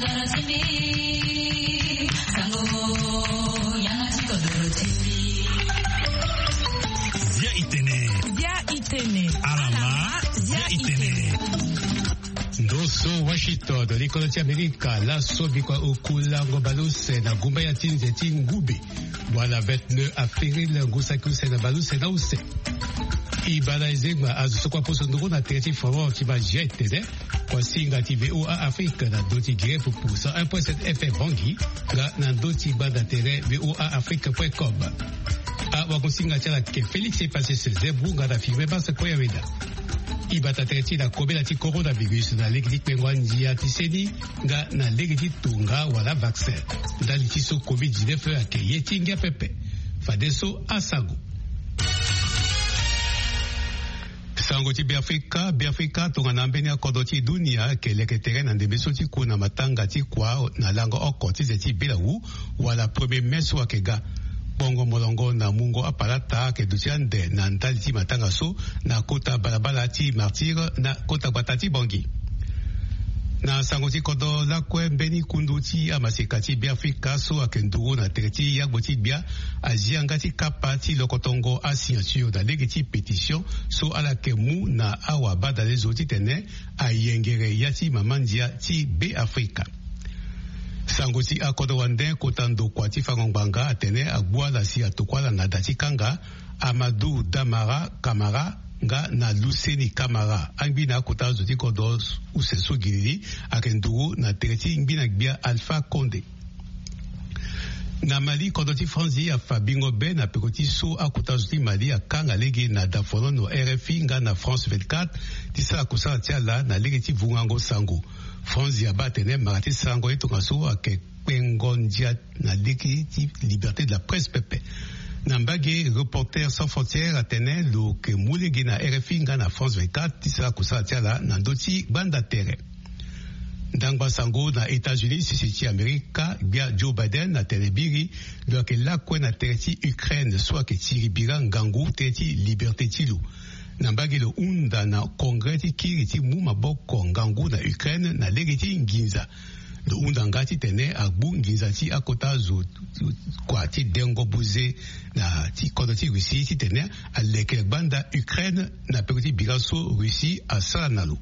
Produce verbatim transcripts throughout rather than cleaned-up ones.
Bia itene. Bia itene. Alama. Bia itene. Ndo so Washington, likolo ti Amerika, laso bikua oku lango baleuse na gumba ya ti nze ti ngube, wala vingt-neuf avril, ngu saki use na baleuse na use. E baa na ezengba azo so kue aposo nduru na tere ti Faron ti baa G I tene, kua singa ti V O A Afrique na do ti Guinée pour cent un point sept F M Bangui, nga na ndo ti gbanda tere V O A Afrique point com. Awagosinga ti ala ayeke Félix Epasis Zebou nga na Firmin Basse Koyaweda. E bata tere ti e na kobela ti coronavirus na lege ti kpengo andia ti seni nga na lege ti tonga wala vaccin. Ndali ti so covid dix-neuf ayeke ye ti ngia pepe. Fadeso asango. Sango ti Beafrika. Beafrika tongana ambeni akodro ti dunia ayeke leke tere na ndembe so ti ku na matanga ti kua na lango oko ti ze ti belawu, wala premier mai so ayeke ga. Kpongo molongo na mungo apalata ayeke duti ande na ndali ti matanga so na kota balabala ti Martyrs na kota gbata ti Bangui. Na sango ti kodro lakue, mbeni kundu ti amaseka ti Beafrika so ayeke nduru na tere ti yagbo ti gbia azi yanga ti kapa ti lokotongo asignature na lege ti pétition so ala yeke mu na awabadalezo titene ayengere ya ti mama ndia ti Beafrika. Sango ti akodro wande, kota ndokua ti fango ngbanga atene agbu ala si atokua ala na da ti kanga, Amadou Damara Camara nga na Luseni Camara, angbi na akota zo ti kodro use so gilili, ayeke nduru na tere ti ngbi na gbia Alpha Condé. Na Mali, kodro ti Franzi afa bingo be na peko ti so akota zo ti Mali akanga lege na dafonono R F I nga na France vingt-quatre ti sara kusala ti ala na lege ti vungango sango. Franzi abaa atene mara ti sarango ye tongaso ayeke kpengo ndia na lege ti liberté de la presse pepe. Na mbage, Reporters sans frontières atene lo yeke mu lege na R F I nga na France vingt-quatre ti sara kusala ti ala na ndö ti gbanda tere. Ndangba sango na États-Unis, sese ti Amerika, gbia Joe Biden atene biri lo yeke lakue na tere ti Ukraine so ayeke tiri bira ngangu tere ti liberté ti lo. Na mbage, lo hunda na Congrès ti kiri ti mu maboko ngangu na Ukraine na lege ti nginza. Lo hunda nga titene agbu nginza ti akota zo kua ti dengo buze na ti kodro ti Russie titene aleke gbanda Ukraine na peko ti bira so Russie asara na lo.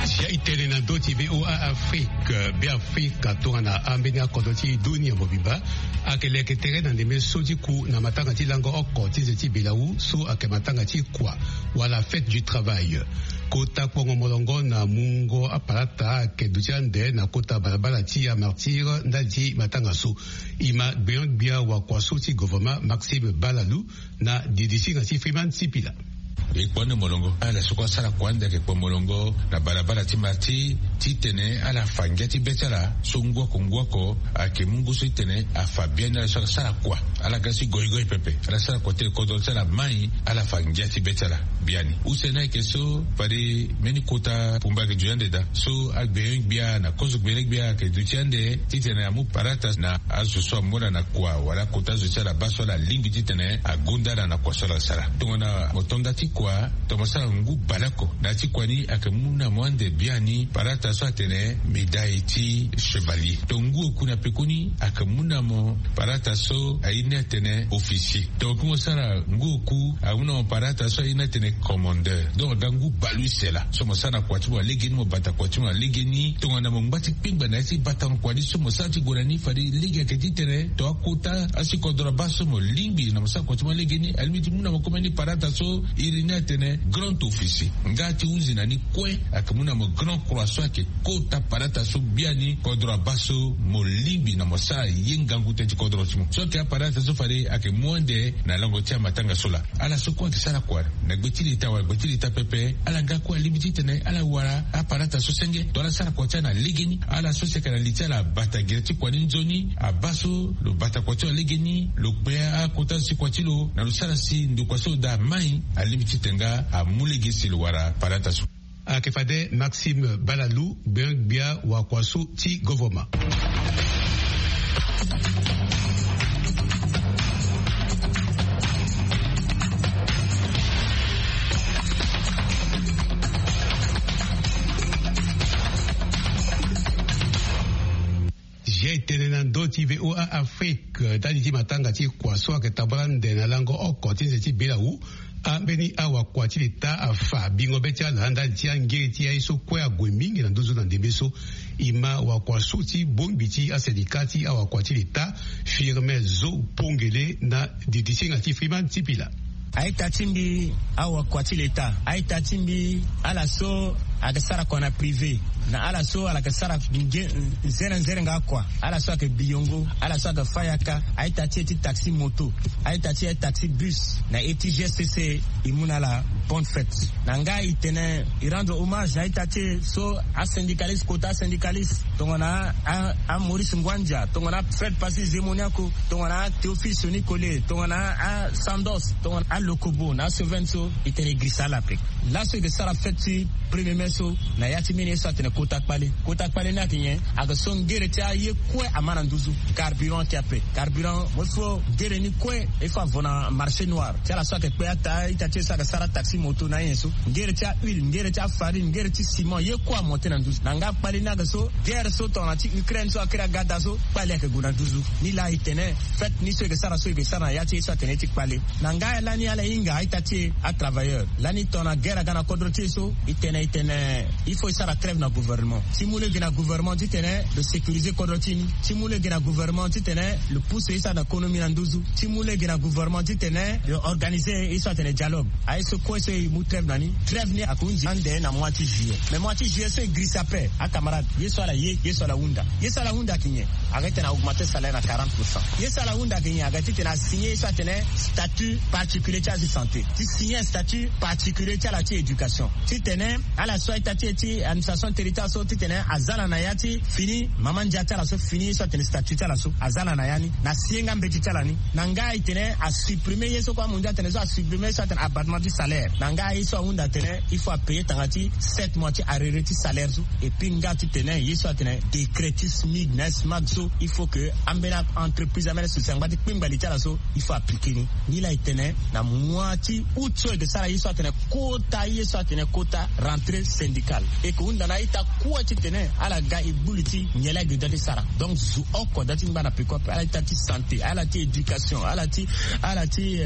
Sia e tene na ndö ti V O A Afrique, Beafrika tongana ambeni akodro ti dunia mobimba ayeke leke tere na ndembe so ti ku na matanga ti lango oko ti nze ti belawu so ayeke matanga ti kua wala fête du travail. Kota kpongo molongo na mungo apalata ayeke duti ande na kota balabala ti amartyre ndali ti matanga so. E ma gbenyo-gbia wakua so ti governement Maxime Balalou na didi singa ti Freeman Sipila. E kpo ande molongo ala so kue asara kua ande ayeke kpo molongo na balabala ti martyre titene ala fa ngia ti be ti ala so ngu oko ngu oko ayeke mu ngu so titene afa biani ala so ala sara kua. Ala ga si goigoi pepe, ala sara kua ti le kodro ti ala mai, ala fa ngia ti be ti ala biani. Use ni ayeke so fade mbeni kota pumba ayeke duti ande daa so agbenyo-gbia na kozo gbele-gbia ayeke duti ande titene amu parata na azo so amu ala na kua wala kota zo ti ala baa so ala lingbi titene agonda ala na kua so ala sara. Tongana mo to nda ti kua, tongana mo sara ngu baleoko na ya ti kua ni ayeke mu na mo ande biani parata so atene médaille ti chevalier. Tonga ngu oku na pekoni ayeke mu na mo parata so aye ni atene officier. Tonga kue mo sara ngu oku amu na mo parata so aye ni atene commandeur. Donc aga ngu baleuse laa so mo sara na kua ti mo na legeni, mo bata kua ti mo na legeni. Tongana mo ngba ti kpengba na ya ti bata mo kua ni so mo sara ti gue na ni, fade lege ayeke titene to akota asi kodro abaa so mo lingbi na mo sara kua ti mo na legeni, alingbi ti mu na mo kombeni parata so e Ni atene grand officier nga ti huzi na ni kue ayeke mu na mo grand croix so ayeke kota palata so biani kodro abaa so mo lingbi na mo sara ye ngangu teti kodro ti mo so ayeke apalata so fade ayeke mu ande na lango ti amatanga so laa. Ala so kue ayeke sara kua na gbe ti leta wala gbe ti leta pepe ala nga kue alingbi titene ala wara apalata so senge to ala sara kua ti ala na legeni. Ala so si ayeke na li ti ala abata gere ti kua ni nzoni abaa so lo bata kua ti lo na legeni lo kpe akota ti kua ti lo na lo sara si ndokua so lo daa amai. Alingbi titene nga amu lege si lo wara palata so. Ayeke fade Maxime Balalou gbengbia wakua so ti govorma. Zia etene na ndö ti VOA Afrique ndali ti matanga ti kua so ayeke tambala ande na lango oko ti nze ti belawu. Ambeni awakua ti leta afa bingo be ti ala ndali ti angere ti aye so kue ague mingi na nduzu na ndembe so. E ma wakua so ti bongbi ti asendika ti awakua ti leta Firmin Zo Pongele na didi ti hinga ti Freeman Tipila. A-ita ti mbi awakua ti leta, a-ita ti mbi ala so ayeke sara kua na privé na ala so ala yeke sara nge nzere nzere nga akua, ala so ayeke biyongo, ala so ayeke fayaka, a-ita ti e ti taxi moto, a-ita ti e taxi bus na e ti G C C, e mu na ala bonne fête. Na nga e tene e rendre hommage na a-ita ti e so asyndicaliste kota asyndicaliste tongana a, a Maurice Ngwandia, tongana Fred Passy Zemoniako, tongana Théophile Soni Kole, tongana a Sandos, tongana a Lokobo na a Seven so e tene e girisa ala ape. Laso e ke sara fête ti premier mai so na ya ti mbeni ye so atene kota kpale. Kota kpale ni ayeke nyen? Ayeke so ngere ti aye kue ama na nduzu. Carburant ti ape. Carburant mo fo ngere ni kue e fo avo na marché noir ti ala so ayeke kpe ata ita ti e so ayeke sara taxi moto na anyen so. Ngere ti ahuile, ngere ti afarine, ngere ti ciment, ye kue amonte na nduzu. Na nga kpale ni ayeke so guerre so tongana ti Ukraine so akiri aga daa so kpale ayeke gue na nduzu. Ni laa e tene fête ni so e ke sara so e ke sara na ya ti e so atene ti kpale. Na nga lani ala hinga a-ita ti e atravailleur lani tongana guerre aga na kodro ti e so e tene e tene il faut e sara trêve na gouvernement ti mu lege na gouvernement titene lo sécuriser kodro ti e ni, ti mu lege na gouvernement titene lo pousse e so atene konomi na nduzu, ti mu lege na gouvernement titene lo organiser e so atene dialogue. Aye so kue so e mu trêve na ni. Trêve ni akunzi ande na mois ti juillet. Mais mois ti juillet so e girisa ape acamarade, ye so ala ye, ye so ala hunda. Ye so ala hunda ayeke nyen? Ayeke titene a augmenter salaire na quarante pour cent. Ye so ala hunda ayeke nyen? Ayeke titene a signer ye so atene statut particulier ti azi santé, ti signer statut particulier ti ala ti éducation, titene ala so a-ita ti e ti administration territoire so titene aza ala na ya ti fini mama ndia ti ala so fini ye so atene statut ti ala so aza ala na ya ni na si ye nga mbeti ti ala ni. Na nga e tene a supprimer ye so kue amondia atene so a supprimer ye so atene abattement ti salaire. Na nga ye so ahunda atene il faut apayer tanga ti sept mois ti arriéré ti salaire so. Et puis nga titene ye so atene décret ti smig na smag so il faut que ambeni entreprise ambeni société angba ti kpingba li ti ala so il faut appliquer ni. Ni laa e tene na mois ti août so e ke sara ye so atene kota ye so atene kota rentrée syndicale. E ke hunda na a-ita kue titene ala ga e gbu li ti nyen laa e ke da ti sara. Donc zo oko da ti ngba na peko ape, ala ita ti santé, ala ti éducation, ala ti, ala ti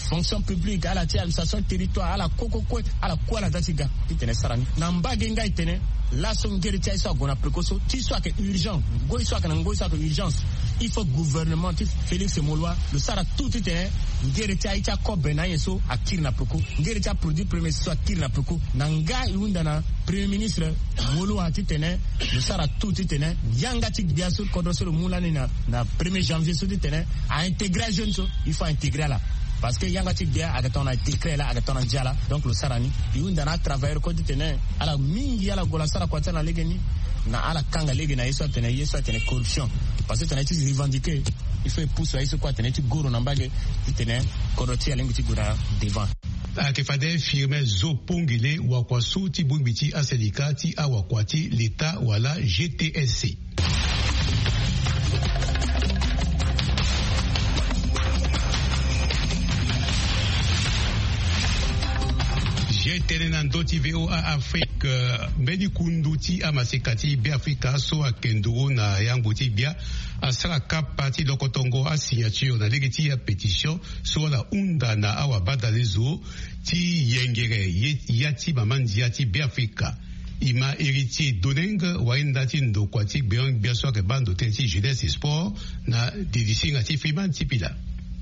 fonction publique, ala ti administration territoire, ala kue kue kue ala kue ala da ti ga titene e sara ni. Na mbage nga e tene laso ngere ti aye so ague na peko so ti so ayeke urgent, ngoi so ayeke na ngoi so ayeke urgence. Il faut gouvernement ti Félix Moloua lo sara tout titene ngere ti aye ti akobe na anyen so akiri na peko, ngere ti aproduit premier so akiri na peko. Na nga e hunda na premier ministre Moloua titene lo sara tout titene yanga ti gbia so kodro so lo mu lani na na premier janvier so titene a intégrer ajeune so il faut a intégrer ala. Parce que yanga ti gbia ayeke tongana décret laa, ayeke tongana ndia laa. Donc lo sara ni. E hunda na atravailleur kue titene ala mingi ala gola sara kua ti ala na legeni. Na ala kanga lege na ye so atene ye so atene corruption. Parce que tongana ye ti revendiquer il faut e pousse aye so kue atene ye ti goro na mbage titene kodro ti e alingbi ti gue na devant. Ayeke fade Firmin Zo Pongele wakua so ti bongbi ti asendika ti awakua ti leta wala G T S C. G T N na ndö ti VOA Afrique. Mbeni kundu ti amaseka ti Beafrika so ayeke nduru na yangbo ti gbia asara kapa ti lokotongo asignature na lege ti apétition so ala hunda na awabadalezo ti yengere ye ya ti mama ndia ti Beafrika. E ma Héritier Doneng wainda ti ndokua ti gbeon-gbia so ayeke baa ndo tënë ti jeunesse et sport na didi singa ti Freeman Tipila.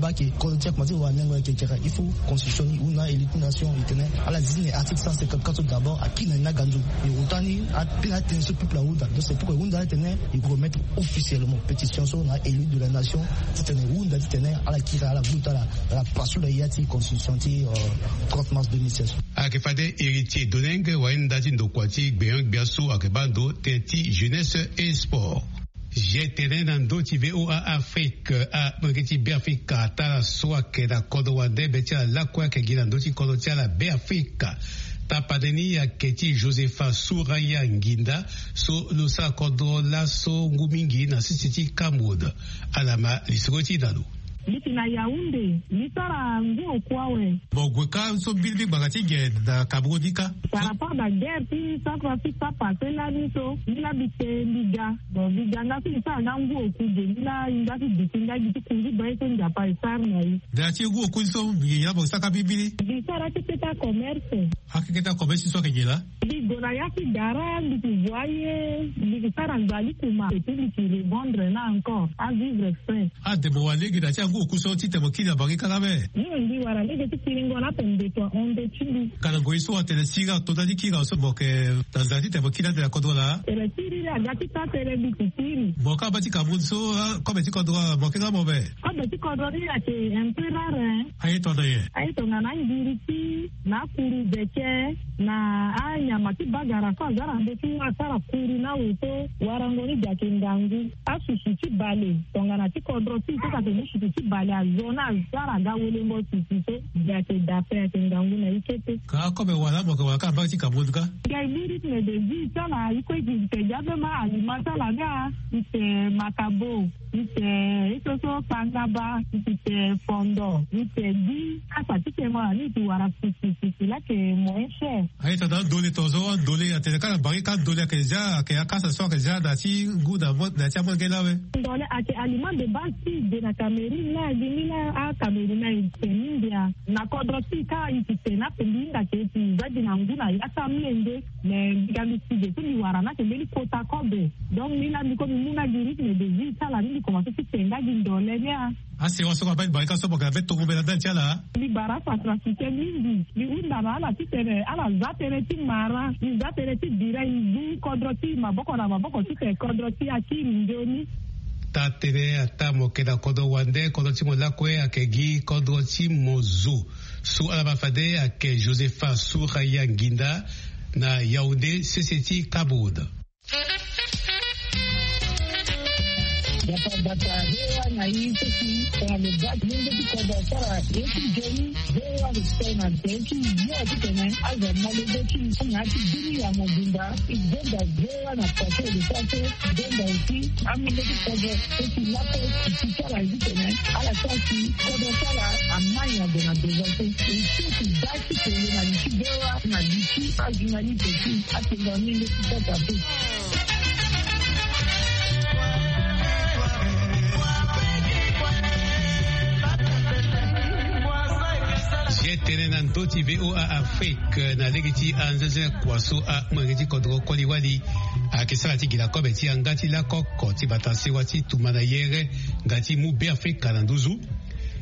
baa ke kodro ti akomanse wara nyango yeke kere. Il faut constitution ni hunda élu ti nation e tene ala zi na article cent cinquante-quatre so d'abord akiri na ni na ganzu. E hota ni apena atene so peuple ahunda. Donc c'est pourquoi e hunda atene e remettre officiellement pétition so na élu de la nation titene e hunda titene ala kiri ala gbu ti ala ala passe na ya ti constitution ti trente mars deux mille seize. Ayeke fade héritier doneng wayenda ti ndokua ti gbenyo-gbia so ayeke baa ndo tënë ti jeunesse et sport. Gtene na ndö ti VOA Afrique, amolenge ti Beafrika ata ala so ayeke na kodro wande be ti ala lakue ayeke gi na ndö ti kodro ti ala Beafrika. Tapande ni ayeke ti Josepha Souraya Nginda so lo sara kodro laso ngu mingi na sese ti Cameroun. Ala ma lisoro ti na lo. Mbi ti na Yaoundé, mbi sara ngu oku awe. Mo gue ka so mbirimbiri ngbanga ti ge na Cameroun ni ka. Par rapport na guerre ti Centrafrique so apasse lani so, mbi laa mbi te mbi ga. Bon, mbi ga nga so mbi sara nga ngu oku ge, mbi laa e nga so duti nga gi ti kunzi baa ye so Nzapa e sara na e. Na ya ti ngu oku ni so mbi yeke nyen laa mo sara ka mbirimbiri? Mbi sara ti keta commerce. Akeketa commerce so ayeke nyen laa? Mbi gue na ya ti gara, mbi ti voye, mbi ti sara nzali kuma, et puis mbi ti revendre na encore, avivre frais. Ade mo wara lege na ya ti angu oku so titene mo kiri na bangi kâ laa me? Mbi wara lege ti kiringo na ape mbeto ahon ndö ti mbi. Ka na ngoi so atene siriri ato ndali ti kiri awe so mo yeke na nzara titene mo kiri ande na kodro laa? Tene siriri aga ti sara tënë mbi ti kiri. Mo kâ baa ti Cameroun so, ah, kobe ti kodro mo yeke nga mo me? Kobe ti kodro ni ayeke un peu rare, hein. Aye tongana nyen? Aye tongana angiriti, na akuru beke, na anyama ti bagara so aza na ndö ti wâ asara kuru na awe so, warango ni gi ayeke ngangu. Asusu ti bale, tongana ti kodro ti e so ayeke ni susu ti bale azo na asara aga welengo susu so, gi ayeke da ape, ayeke ngangu na e kete. Ka kobe wala mo yeke wara ka na mbage ti Cameroun ka? Gi aye mu rythme de vie ti ala, e kue gi e te gi abe ma alima ti ala nga, e te makabo. E te ye so so kpangaba, e ti te fondo, e te gi kasa ti kengo na ni e ti wara sisi sisi laa ayeke moyen cher. Aye tongana andole tongaso andole atene kâ na bangi kâ andole ayeke zia, ayeke akasa so ayeke zia na ya ti ngu na mo-, na ya ti amolenge laa awe. Ndole ayeke aliment de base ti e ge na Cameroun laa gi ni laa aCameroun aye te mingi a. Na kodro ti e kâ e ti te na ape mbi hinga ke e ti za gi na ngu na ya ti amolenge. Mais mbi ga mbi si ge so mbi wara ni ayeke mbeni kota kobe. Donc ni laa mbi kue mbi mu nga gi rythme de vie ti ala ni mbi komanse ti te nga gi ndole ni a. Asewa so kue abaa ti bale ka so mo yeke na mbeni tongo mbela ndali ti ala. Mbi bara afa trafiquer mingi. Mbi hunda na ala titene ala za tënë ti mara, mbi za tënë ti bira, e zu kodro ti e maboko na maboko titene kodro ti e akiri nzoni. Taa tënë ataa mo yeke na kodro wande, kodro ti mo lakue ayeke gi kodro ti mo zo. So ala baa fade ayeke Josepha Souraya Nginda na Yaoundé, sese ti Cameroun. Gbata gbata, V O A na e so si tongana lo baa ti lenge ti kodro asara ye ti nzoni, V O A respect na nze ti yo titene azo na lenge ti e na ya ti bini ya mobimba. E gonda V O A na pase e de so aso gonda aussi amolenge ti kodro so si lakue ti ti ti ala ye titene ala sara si kodro ti ala amai na gue na devant so. E so si baa ti tene na li ti V O A na li ti ajournaliste ti atene na ni nde ti kota so. Ndö ti VOA Afrique, na lege ti anzenze kua so amolenge ti kodro koli wali ayeke sara ti gi na kobe ti yanga ti lakoko ti bata sewa ti tumba na yere nga ti mu Beafrika na nduzu.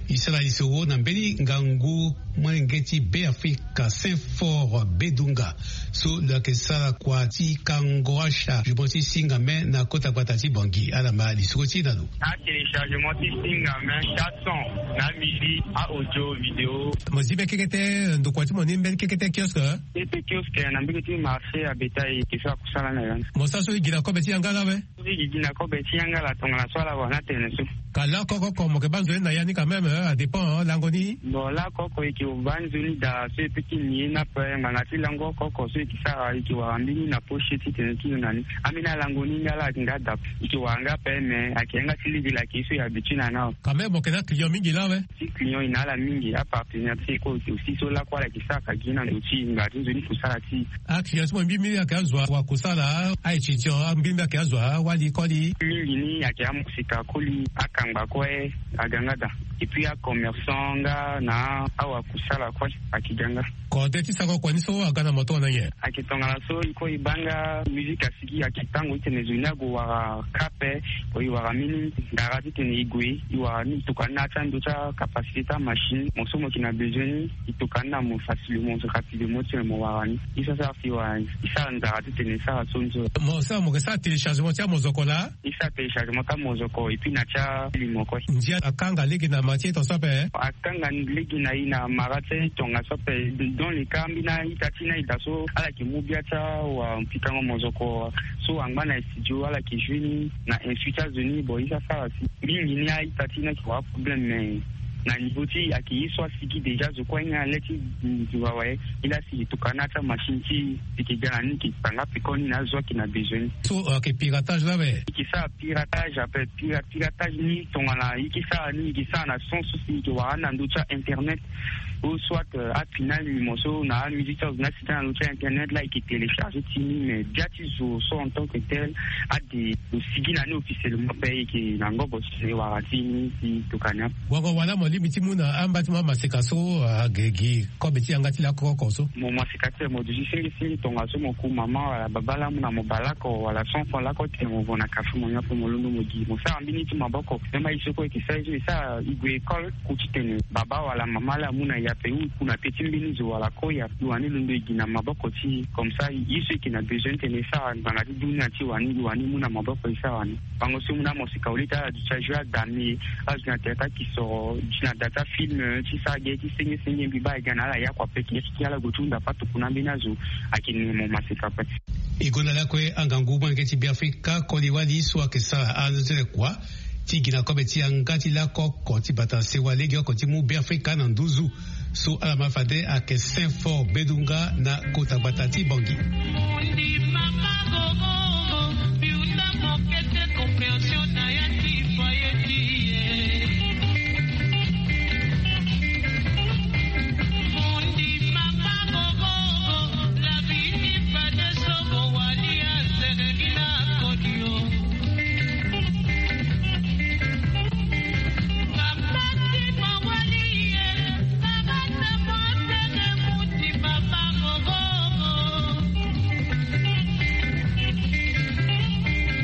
E sara lisoro na mbeni ngangu molenge ti Beafrika, Saint Fort Bedunga, so lo yeke sara kua ti kango ashargement ti singame na kota gbata ti Bangui. Ala ma lisoro ti e na lo. Atéléchargement ti singame, chansons, na musique, a audio, vidéo. Mo zi be kekete ndokua ti mo ni mbeni kekete kiosque? Kekete kiosque na mbege ti marché à bétail, ke so akusala na ya. Mo sara so e gi na kobe ti yanga la awe? So e gi na kobe ti yanga la tongana so ala wara na tene so. Ka lakoko oko mo yeke baa nzoni na ya ni quand même, hein, a dépend, hein, lango ni. Bon, lakoko oko e yeke baa nzoni daa so e peut ti ni ye ni ape, ngbanga ti lango oko oko so e yeke sara, e yeke wara mbeni na poche ti tene ti lo na ni. Ambeni alango ni nga la ayeke nga daa. E yeke wara nga ape, mais ayeke yanga ti lege la ayeke ye so e habitué na ni awe. Quand même mo yeke na client mingi la awe? Ti client e na ala mingi, apartenaire ti e kue aussi so lakue ala yeke sara ka gi na ndö ti e, ngbanga ti nzoni kusala ti e. Aclient ti mo mbi mbi ayeke azo wa kusala, a-étudiant mbi mbi ayeke azo awali koli. Mingi ni ayeke amosika koli, akangba kue aga nga daa. Et puis acommerçant nga na awakusala kue ayeke ga nga. Kode ti sara kua ni so aga na mo tongana nyen? Ayeke tongana so e kue e baa nga musique asigi, ayeke tango ti tene zo ni ague wara ka ape. Bon, e wara mbeni ndara ti tene e gue, e wara ni, e tokua ni na ya ti ando ti acapacité ti amachine. Mo so mo yeke na besoin ni, e tokua ni na mo facilement, rapidement ti tene mo wara ni. E sara sara si e wara ni, e sara ndara ti tene e sara so ni so. Mo sara, mo yeke sara téléchargement ti amozoko laa? E sara téléchargement ti amozoko et puis na ti alimo kue. Ndia akanga lege na ma ti e tongaso ape? Akanga lege na e na mara ti e tongaso ape. Dans le cas ambeni a-ita ti ni a-ita so ala yeke mu bia ti awapikango mozoko so angba na studio, ala yeke joué ni na insu ti azo ni. Bon, e sara sara si mingi ni a-ita ti ni ayeke wara problème, mais na niveau ti e ayeke ye so asigi déjà, zo kue anyen ale ti nzua awe. E laa si e tokua na ya ti amachine ti e, e yeke ga na ni, e yeke tanga peko ni na azo ayeke na besoin ni. So ayeke piratage laa awe? E yeke sara piratage ape. Pira- piratage ni tongana e yeke sara ni, e yeke sara na sens so si e yeke wara ni na ndö ti a-internet, ou soit, euh, apinal ni mo so na amusique ti azo ni asigi na ndö ti a-internet laa, e yeke téléchargé ti ni, mais bia ti zo so en tant que tel ade lo sigi na ni officiellement ape, e yeke na ngobo ti e wara ti ni ti tokua ni ape. Wango wala mo lingbi ti mu na amba ti mo amaseka so, ah, gi, gi kobe ti yanga ti lakoko so? Mo maseka ti tene mo duti sengi sengi tongaso mo ku mama wala baba laa amu na mo bale oko wala cent francs laa oko ti tene mo vo na café mo nyon ape mo londo mo gi. Mo sara mbeni ti maboko. Même aye so kue e yeke sara ye so e sara, e gue école, ku ti tene baba wala mama laa amu na e ape, ou e ku na peti mbeni zo wala koi ape, e wani londo e gi na maboko ti e. Comme ça ye so e yeke na besoin ti tene e sara ngbanga ti dunia ti e wani, e wani mu na maboko e sara wani. Bango so e mu na amaseka au lieu ti ala duti ajoue adame, azo na tene ti akisoro, duti na da ti afilm, ti sara ge ti senge senge, mbi baa e ga na ala yakua ape, e yeke ala gue ti hunda patokua na ambeni azo. Ayeke ni mo maseka ape. E gonda lakue angangu molenge ti Beafrika koli wali so ayeke sara anzere kua ti gi na kobe ti yanga ti lakoko ti bata sewa lege oko ti mu Beafrika na nduzu. So ala ma fade ayeke Saint Fort Bedunga na kota gbata ti Bangui.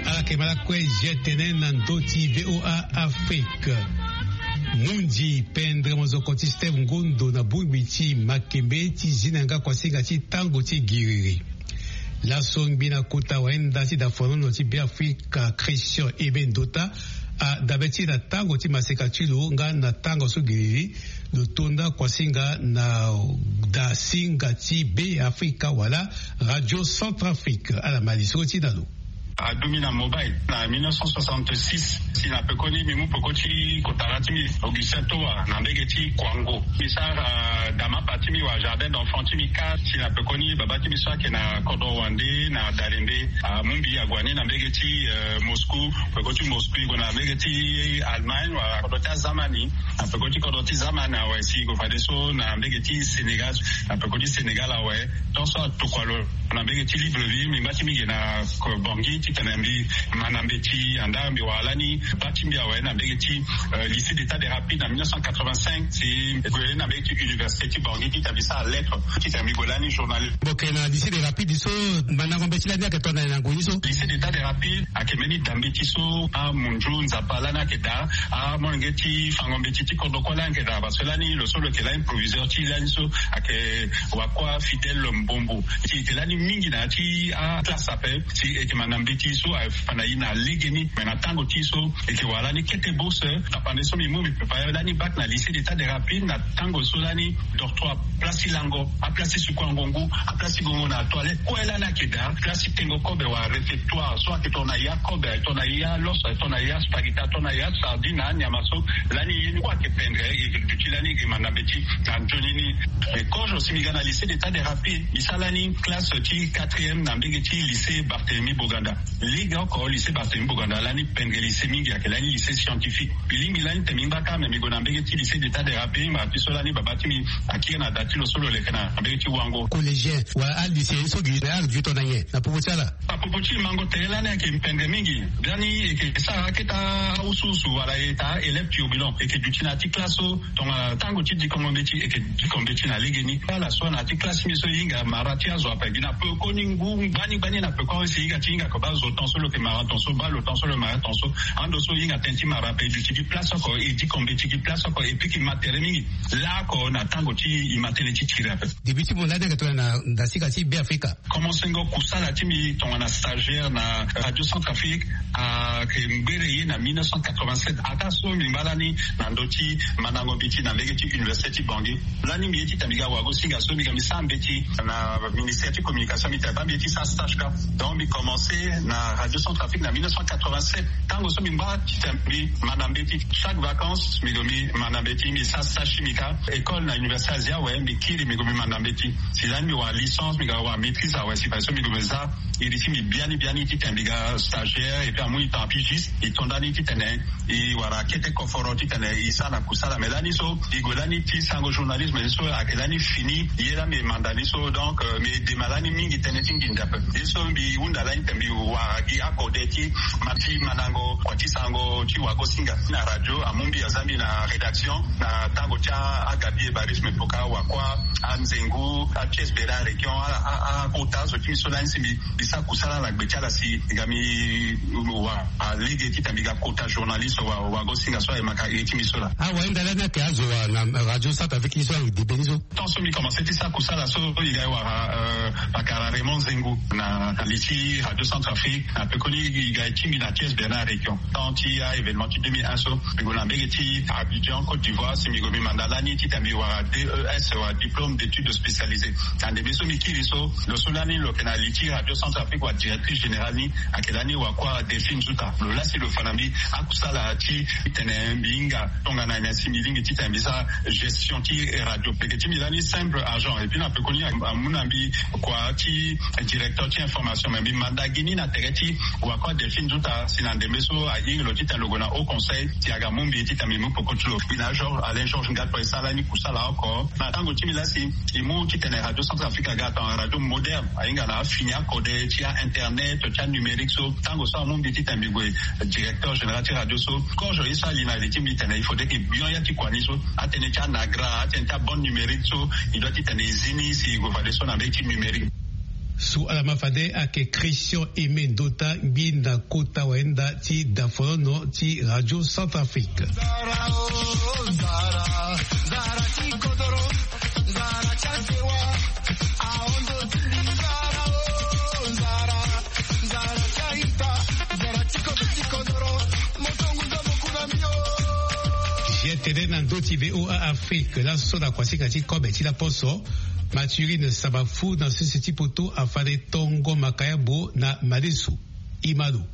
Ala yeke ma lakue zia tene na ndö ti VOA Afrique. Mundi pendre mozoko ti Steve Ngondo na bongbi ti makembe ti zi na yanga kuasinga ti tango ti giriri. Laso ngbi na kota wayenda ti da folono ti Beafrika, Christian Ebe Ndota, adabe ti e na tango ti maseka ti lo nga na tango so giriri lo tonda kuasinga na da singa ti Beafrika wala Radio Centrafrique. Ala ma lisoro ti e na lo. Aduti na mobile na mille neuf cent soixante-six, si na pekoni mbi mu peko ti kotara ti mbi Augustin Toa na mbege ti Kwango. Mbi sara, ah, damapa ti mbi wala jardin d'enfant ti mbi kâ, si na pekoni baba ti mbi so ayeke na kodro wande na Dalembe, ah, amu mbi ague ni na mbege ti, euh, Moscou, peko ti Moscou e gue na mbege ti Allemagne wala kodro ti azamani. Na peko ti kodro ti zamani awe, si e gue fadeso na mbege ti Sénégal, na peko ti Sénégal awe. Donc so atokua lo Na mbege ti livre vi mbi ngba ti mbi ge na Bangui titene mbi ma na mbeti anda mbi wara lani baa ti mbi awe na mbege ti lycée d'état de rapide na mille neuf cent quatre-vingt-cinq si gue na mbege ti université ti Bangui titene mbi sara lettre titene mbi gue lani journaliste. Boke na lycée de rapide so mandango mbeti lani ayeke tongana na ngoi ni so? Lycée d'état de rapide ayeke mbeni dambeti so amunzu nzapa lani ayeke daa amolenge ti fango mbeti ti kodro kue lani ayeke daa parce que lani lo so lo yeke lani proviseur ti lani so ayeke wakua Fidèle Mbombo. Si eke lani mingi na ya ti aclasse ape si eke ma na mbeti so afa na ye na legeni mais na tango ti so eke wara lani kete bourse. Tapande so mbi mu mbi prépare lani bac na lycée d'état de rapide na tango so lani dortoir, place ti lango, aplace ti suku angongu, aplace ti gongo na toilette kue lani ayeke daa, place ti tengo kobe wala réfectoire so ayeke tongana ya kobe ayeke tongana ya loso ayeke tongana ya spaghetti ayeke tongana ya sardine na anyama so lani ye ni kue ayeke pendre. E duti lani e ma na mbeti na nzoni ni. Mais kozo si mbi ga na lycée d'état de rapide mbi sara lani classe ti quatrième na mbege ti lycée Barthélemy Boganda. Lege oko lycée Barthélemy Boganda lani pendre lycée mingi ayeke lani lycée scientifique. Mbi lingbi lani tene mbi ngba kâ mais mbi gue na mbege ti lycée d'état de rapide ma ti so lani baba ti mbi akiri na da ti lo so lo leke na mbege ti wango collégien wala alycéen so gi na ala duti tongana nyen na popo ti ala? Na popo ti mango tere lani ayeke pendre mingi. Biani eke sara akete awusuwusu wala eke taa élève turbulent eke duti na ya ti classe so tongana tango ti dikongo mbeti eke diko mbeti na legeni. Ala so na ya ti classe ti mbi so e hinga mara ti azo ape gi na peko ni ngu gbani gbani na peko awe si e hinga ti hinga ko baa zo ton so lo yeke mara ton so baa lo ton so lo mara ton so. Ando so e hinga tënë ti mara ape e duti gi place oko e diko mbeti gi place oko e piki ma tere mingi. Laoko na tango ti e ma tënë ti tiri ape. Début ti mo lani ayeke tongana na ndasika ti Beafrika. Commencengo kusala ti mbi tongana stagiaire na Radio Centrafrique ayeke ngbere ye na mille neuf cent quatre-vingt-sept ataa so mbi ngba lani na ndö ti mandango mbeti na mbege ti université ti Bangui. Lani mbi ye titene mbi ga wago singa so mbi ga mbi sara mbeti na ministère ti communication mbi tene baa mbi ye ti sara stage kâ. Donc mbi commence na Radio Centrafrique na mille neuf cent quatre-vingt-sept. Tango so mbi ngba titene mbi ma na mbeti chaque vacances mbi gue mbi ma na mbeti mbi sara stage ti mbi kâ. École na université Asie awe mbi kiri mbi gue mbi ma na mbeti. Si lani mbi wara licence mbi ga wara maîtrise awe si fade so mbi gue mbi za iri ti mbi biani biani titene mbi ga stagiaire et puis amu e temps pigiste e to ndani titene e wara kete koforo titene e sara na kusala mais lani so e gue lani ti sango journalisme so ayeke lani fini. Ye lani mbi manda ni so donc mbi dema lani mingi tënë ti nginza ape. Ye so mbi hunda lani titene mbi wara gi akode ti ma ti mandango kua ti sango ti wago singa na radio amu mbi aza mbi na rédaction na tango ti agabi ebarisme poka wakua anzengu apièce bera région akota azo ti mbi so lani si mbi mbi sara kusala na gbe ti ala si e ga mbi wara lege titene mbi ga kota journaliste wago singa so ayemaka iri ti mbi so laa. Awahinda lani ayeke azo na radio Centrafrique ni so ayeke debe ni so. Tant so mbi commence ti sara kusala so e ga e wara pakara Raymond Zengu na li ti Radio Centrafrique na pekoni e ga e ti mbi na pièce bera région. Tant ti a événement ti deux mille un so mbi gue na mbege ti Abidjan Côte d'Ivoire si mbi gue mbi manda lani titene mbi wara D E S wala diplôme d'études spécialisées. Na ndembe so mbi kiri so lo so lani lo yeke na li ti Radio Centrafrique wala directrice générale ni ayeke lani wakua Delphine Nzuta. Lo laa si lo fa na mbi akusala ti tene mbi hinga tongana nyen si mbi lingbi titene mbi sara gestion ti radio. Lege ti mbi lani simple agent et puis na pekoni amu na mbi kua ti directeur ti information mais mbi manda gi ni na tere ti wakua Delphine Nzuta si na ndembe so ahinga lo titene lo gue na haut conseil si aga mu mbi titene mbi mu peko ti lo. Mbi na Georges Alain Georges Ngatoi e sara lani kusala oko na tango ti mbi laa si e mu titene Radio Centrafrique aga tongana radio moderne ahinga na afini akode ti a internet ti anumérique so tango so amu mbi titene mbi gue directeur général ti radio so. Kozo ye so ali na li ti mbi tene il faudrait que bion ya ti kua ni so atënë ti anagra atënë ti abande numérique so e doit titene e zi ni si e gue fadeso na mbeti numérique. So ala ma fade ayeke Christian Aimé Ndota ngbi na kota wayenda ti dafonono ti Radio Centrafrique. Tene na ndö ti V O A Afrique laso na kuasika ti kobe ti laposo. Mathurine Sabafu na sese ti poto afande tongo makayabo na madesu. Imalo.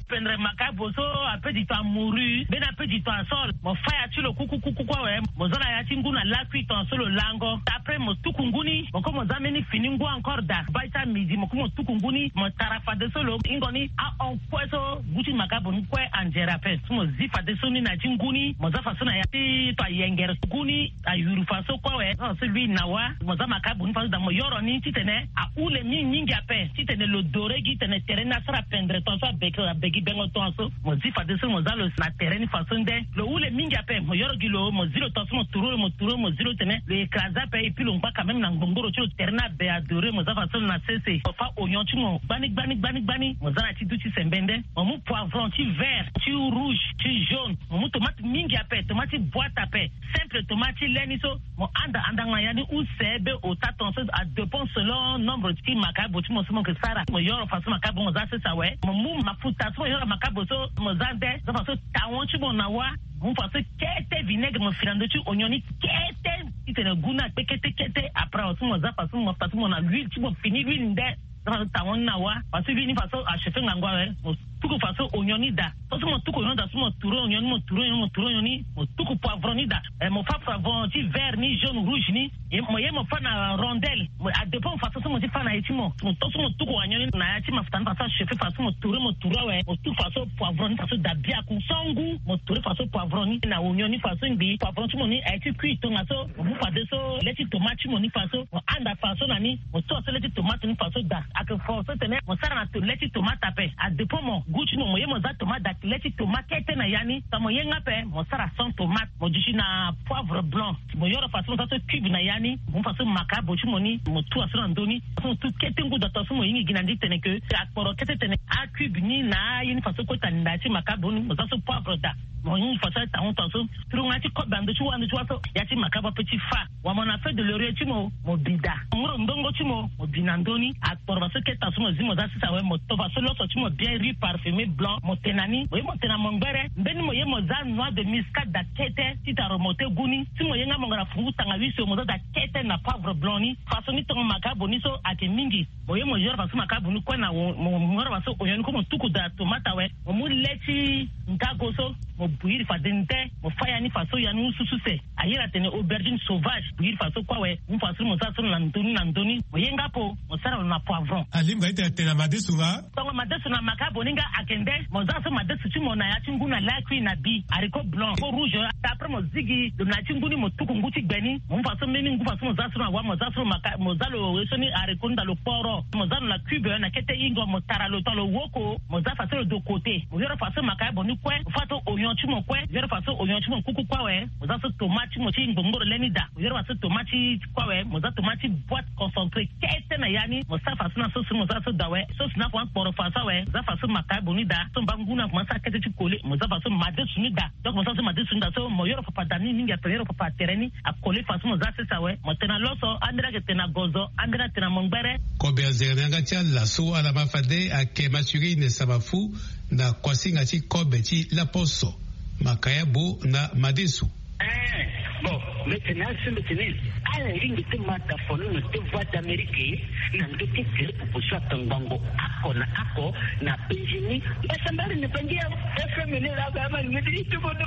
Pendre makabo so ape di ton amouru mbeni ape di ton asol, mo fa ya ti lo kuku kuku kue awe. Mo za na ya ti ngu na lakui ton so lo lango. Après mo tuku ngu ni, mo kue mo za mbeni fini ngu encore daa. Baa ti amidi mo kue mo tuku ngu ni, mo tara fadeso lo hingo ni ahon kue so ngu ti makabo ni kue anzere ape. So mo zi fadeso ni na ya ti ngu ni, mo za faso na ya ti ton ayengere ngu ni. Ayuru faso kue awe. So lui na wa mo za makabo ni faso daa, mo yoro ni titene ahule mingi mingi ape, titene lo dore gi tene tere ni asara pendre ton so abeke abegi bengo ton so. Mo zi fadeso mo za lo na tere ni faso nde lo hule mingi ape. Mo yoro gi lo, mo zi lo ton so mo turu lo, mo turu lo, mo zi lo tene lo écrase ape. Et puis lo ngba quand même na ngbongboro ti lo, tere ni abe adore. Mo za faso lo na sese, mo fa oignon ti mo gbani gbani gbani gbani, mo za na ti du ti sembe nde. Mo mu poivron ti vert, ti rouge, ti jaune. Mo mu tomate mingi ape, tomate ti boite ape, simple tomate ti le ni so. Mo anda andango na ya ni use be ota ton so, adépend selon nombre ti makabo ti mo so mo ke sara. Mo yoro faso makabo mo za sese awe. Mo mu mafuta so mo yoro makabo so mo za nde, za faso tawon ti mo na wa. Mo mu faso kete vinaigre, mo fi na ndö ti oignon ni kete, titene gu ni akpe kete kete. Après aussi mo za faso mo, faso mo na l'huile ti mo, fini l'huile nde. Za faso tawon ni na wa, faso l'huile ni faso achauffer ngangu awe. Mo tuku faso oignon ni daa. So si mo tuku oignon daa, so mo turu oignon ni, mo turu oignon ni, mo turu oignon ni, mo tuku poivron ni daa. Eh, mo fa poivron ti vert ni, jaune, rouge ni. Ye mo, ye mo fa na rondelle. Mo, adépend faso so mo ti fa na ye ti mo. Mo to so mo tuku oignon ni na ya ti mafuta ni faso achauffer, faso mo turu, mo turu awe. Mo tuku faso poivron ni faso daa biaku. So ngu mo turu faso poivron ni na oignon ni faso ngbii. Poivron ti mo ni aye ti kui tongaso. Mo mu fadeso le ti tomate ti mo ni faso. Mo anda faso na ni, mo to so le ti tomate ni faso daa. Ayeke fo so tene mo sara na to, le ti tomate ape. Adépend mo gu ti mo, mo ye mo za tomate daa, le ti tomate kete na ya ni. Sa mo ye nga ape, mo sara sans tomate, mo duti na poivre blanc. Mo yoro faso mo za so cube na ya ni, mo mu faso makabo ti mo ni, mo tua so na ndö ni. Faso mo tu kete ngu daa, to so mo hingi gi na ndi tene ke akporo kete tene acube ni na aye ni faso kota na ya ti makabo ni, mo za so poivre daa. Mo hingi faso atahon ton so. Turongo ya ti kobe na ndö ti wa, ndö ti wa so ya ti makabo ape ti fa. Wala mo na feuille de laurier ti mo, mo bi daa. Ngoro ndongo ti mo, mo bi na ndö ni. Akporo faso kete ton so mo zi mo za sese awe, mo to faso loso ti mo bien, riz parfumé blanc, mo te na ni. Mo ye mo te na mongbere, mbeni mo ye mo za noix de muscade daa kete, titene aremonter gu ni. Si mo ye nga mo nga na fungu tanga huit so, mo za daa kete na poivre blanc ni. Faso ni tongo makabo ni so ayeke mingi. Mo ye mo yoro faso makabo ni kue na wo, mo, mo yoro faso oignon ni kue mo tuku daa tomate awe. Mo mu le ti ngago so, mo bouillir fade nde, mo fa ya ni faso ya ni husu suse. Ayere atene aubergine sauvage, bouillir faso kue awe. Mo mu faso ni mo za so na ndö ni na ndö ni. Mo ye nga apo, mo sara lo na poivron. Alingbi nga ti tene atene na madesu nga? Tongo madesu na makabo ni nga ayeke nde, mo za so madesu ti mo na ya ti ngu na lakui na bi, haricot blanc, haricot rouge. Après mo zigi lo na ya ti ngu ni, mo tuku ngu ti gbe ni. Mo mu faso mbeni ngu faso mo za so na wa, mo za so maka, mo za lo ye so ni haricot ni daa lo kporo. Mo za lo na cube na kete hingo, mo tara lo tongana lo woko, mo za faso lo de côté. Mo yoro faso makabo ni kue, mo fa to oignon ti mo kue, mo yoro faso oignon ti mo kuku kue awe. Mo za so tomate ti mo ti ngbongboro le ni daa. Mo yoro faso tomate ti kue awe, mo za tomate ti boite concentré kete na ya ni. Mo sara faso na sauce ni, mo za so daa awe. Sauce ni akomanse kporo faso awe, mo za faso makabo ni daa. So mba ngu ni akomanse sara kete ti kole, mo za faso madesu ni daa. Donc mo sara so madesu ni daa so, mo yoro papa daa mingi mingi ape, mo yoro papa tere ni akole faso mo za sese awe. Mo te na loso, ambeni ayeke te na gozo, ambeni ayeke te na mongbere. Kobe azere na yanga ti ala so ala ma fade ayeke Mathurine Samafu na kuasinga ti kobe ti laposo. Makayabo na madesu. Eh, bon, mbi tene asi mbi tene ala lingbi ti ma ta foni na ti Voix d'Amérique na ndö ti tele popo so atongbango oko na oko na penzi ni. Mbasambala na bangi ya F M ni la ba ma ni mbi ti tubo no.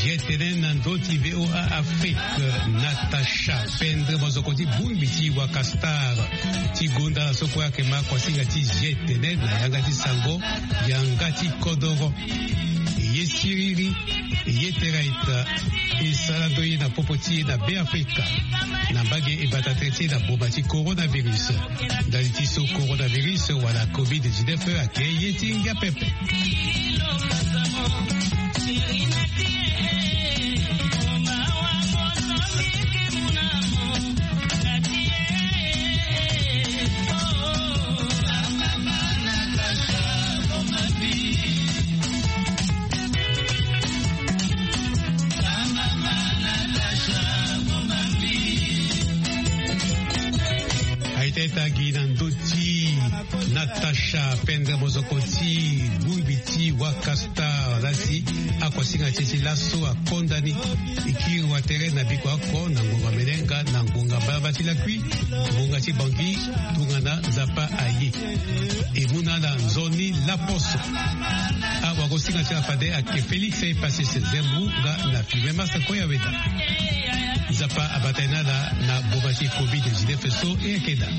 G T N na ndö ti V O A Afrique, Natacha Pendre, mozoko ti bongbi ti Waka Star ti gonda na so kue ayeke ma kuasinga ti G T N na yanga ti sango, yanga ti kodoro. E ye siriri, e ye teraita, e sara ndö ye na popo ti e na Beafrika, na mbage e bata tere ti e na boma ti coronavirus. Ndali ti so coronavirus wala covid dix-neuf ayeke ye ti ngia pepe. Tagi na ndö ti Natacha Pendre, mozoko ti bongbi ti Wakastar lasi. Akuasinga ti e ti laso akonda ni. E kiri wa tere na biko oko na ngonga melenga na ngonga mbalambala ti lakui, ngonga ti Bangui. Tongana Nzapa aye, e mu na ala nzoni laposo. Awagosinga ti ala fade ayeke Félix Epassis Zembu nga na Firmin Massa Koyaweda. Nzapa abata ye na ala na ngonga ti covid dix-neuf so e yeke daa.